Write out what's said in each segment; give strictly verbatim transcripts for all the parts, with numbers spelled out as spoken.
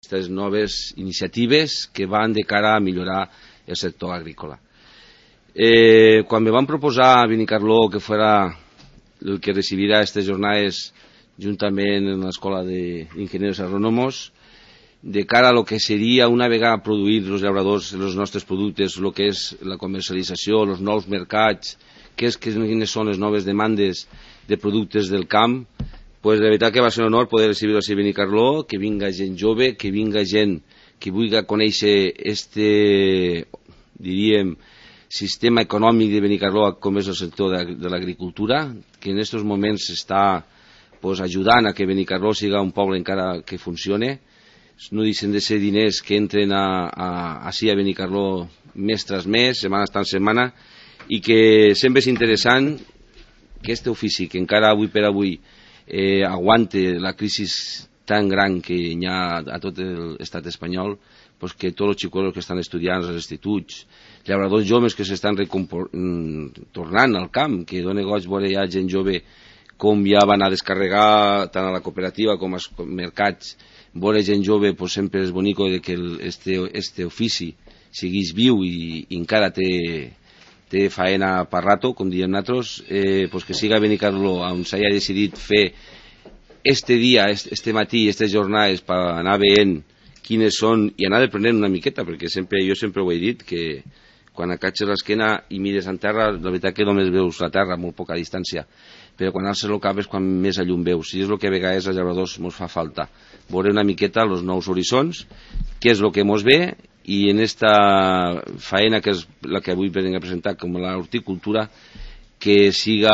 aquestes noves iniciatives que van de cara a millorar el sector agrícola. Eh, quan me van proposar a Benicarló que fuera el que recibirà aquestes jornades juntament en l'Escola d'Ingenieros Agrónomos, de cara a lo que seria una vegada produir els llauradors els nostres productes, el que és la comercialització, els nous mercats, que és, quines són les noves demandes de productes del camp, pues la veritat que va ser un honor poder recibir-ho a Benicarló, que vinga gent jove, que vinga gent que vulgui conèixer este, diríem, sistema econòmic de Benicarló com és el sector de, de l'agricultura, que en aquests moments està pues, ajudant a que Benicarló siga un poble encara que funcione. No deixen de ser diners que entren a, a, així a Benicarló mes tras mes, setmana tras setmana, i que sempre és interessant que aquest ofici, que encara avui per avui eh, aguante la crisi tan gran que hi ha a tot l'estat espanyol, pues que tots els xicots que estan estudiant als instituts, llauradors joves que s'estan tornant al camp, que dona goig veure ja gent jove com ja van a descarregar tant a la cooperativa com als mercats. Veure gent jove pues, sempre és bonic que el, este, este ofici siguis viu i, i encara té, té faena per rato, com diem nosaltres, eh, pues que siga Benicarló on s'hagi decidit fer este dia, este, este matí, aquestes jornades per anar veient quines són i anar aprenent una miqueta, perquè sempre, jo sempre ho he dit, que quan acatxes l'esquena i mires en terra, la veritat que només veus la terra a molt poca distància, però quan alces el cap és quan més a llum veus, i és el que a vegades als llauradors ens fa falta, veure una miqueta els nous horitzons, què és el que ens ve, i en esta faena que és la que avui venim a presentar com l'horticultura, que siga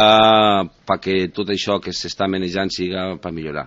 perquè tot això que s'està manejant siga per millorar.